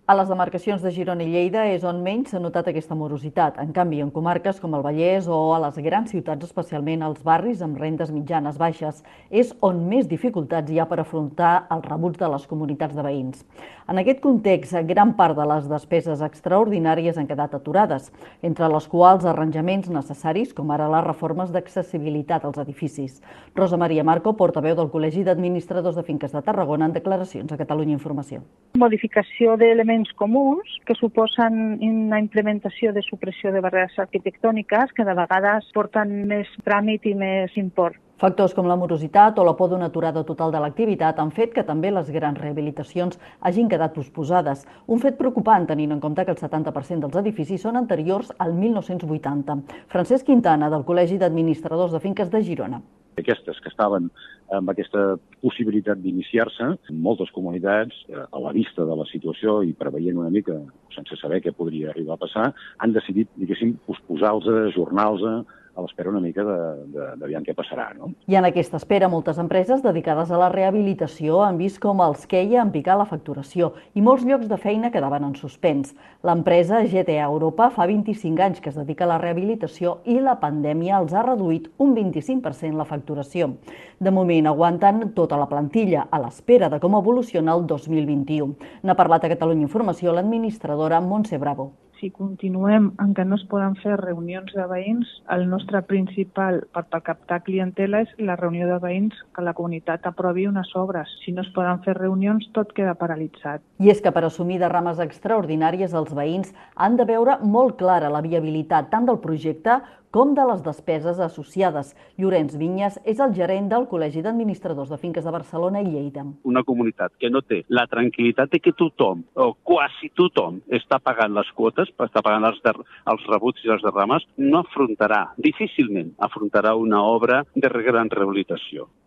A les demarcacions de Girona i Lleida és on menys s'ha notat aquesta morositat. En canvi, en comarques com el Vallès o a les grans ciutats, especialment als barris amb rendes mitjanes baixes, és on més dificultats hi ha per afrontar els rebuts de les comunitats de veïns. En aquest context, gran part de les despeses extraordinàries han quedat aturades, entre les quals arranjaments necessaris, com ara les reformes d'accessibilitat als edificis. Rosa Maria Marco, portaveu del Col·legi d'Administradors de Finques de Tarragona, en declaracions a Catalunya Informació. Modificació d'elements comuns que suposen una implementació de supressió de barreres arquitectòniques que de vegades porten més tràmit i més import. Factors com la morositat o la por d'una aturada total de l'activitat han fet que també les grans rehabilitacions hagin quedat posposades. Un fet preocupant tenint en compte que el 70% dels edificis són anteriors al 1980. Francesc Quintana, del Col·legi d'Administradors de Finques de Girona. Aquestes que estaven amb aquesta possibilitat d'iniciar-se, moltes comunitats, a la vista de la situació i preveient una mica, sense saber què podria arribar a passar, han decidit, diguéssim, posposar-los, ajornar-los, a l'espera una mica d'aviam què passarà, no? I en aquesta espera, moltes empreses dedicades a la rehabilitació han vist com els queia en picar la facturació i molts llocs de feina quedaven en suspens. L'empresa GTA Europa fa 25 anys que es dedica a la rehabilitació i la pandèmia els ha reduït un 25% la facturació. De moment aguanten tota la plantilla a l'espera de com evoluciona el 2021. N'ha parlat a Catalunya Informació l'administradora Montse Bravo. Si continuem en què no es poden fer reunions de veïns, el nostre principal per captar clientela és la reunió de veïns que la comunitat aprovi unes obres. Si no es poden fer reunions, tot queda paralitzat. I és que per assumir derrames extraordinàries els veïns han de veure molt clara la viabilitat tant del projecte com de les despeses associades. Llorenç Vinyes és el gerent del Col·legi d'Administradors de Finques de Barcelona i Lleida. Una comunitat que no té la tranquil·litat de que tothom, o quasi tothom, està pagant les quotes, està pagant els rebuts i les derrames, no afrontarà, difícilment afrontarà una obra de gran rehabilitació.